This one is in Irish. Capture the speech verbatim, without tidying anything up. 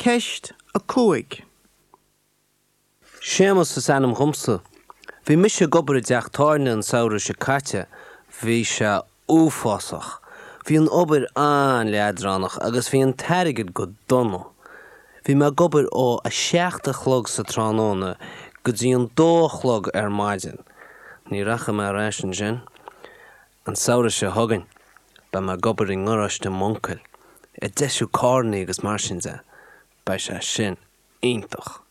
Ceist a cúig. Séamus is ainm dhomsa. Bhí mise ag obair i dteach tábhairne an samhradh seo caite, bhí sé uafásach. Bhí an obair an-leadránach agus bhí an t-airgead go dona. Bhí mé ag obair ó a seacht a chlog sa tráthnóna go dtí an dó a chlog ar maidin. Ní rachaidh mé ar ais ansin. An samhradh seo chugainn, beidh mé ag obair i ngaráiste m'uncail, ag deisiú carranna agus mar sin de, beidh sé sin iontach.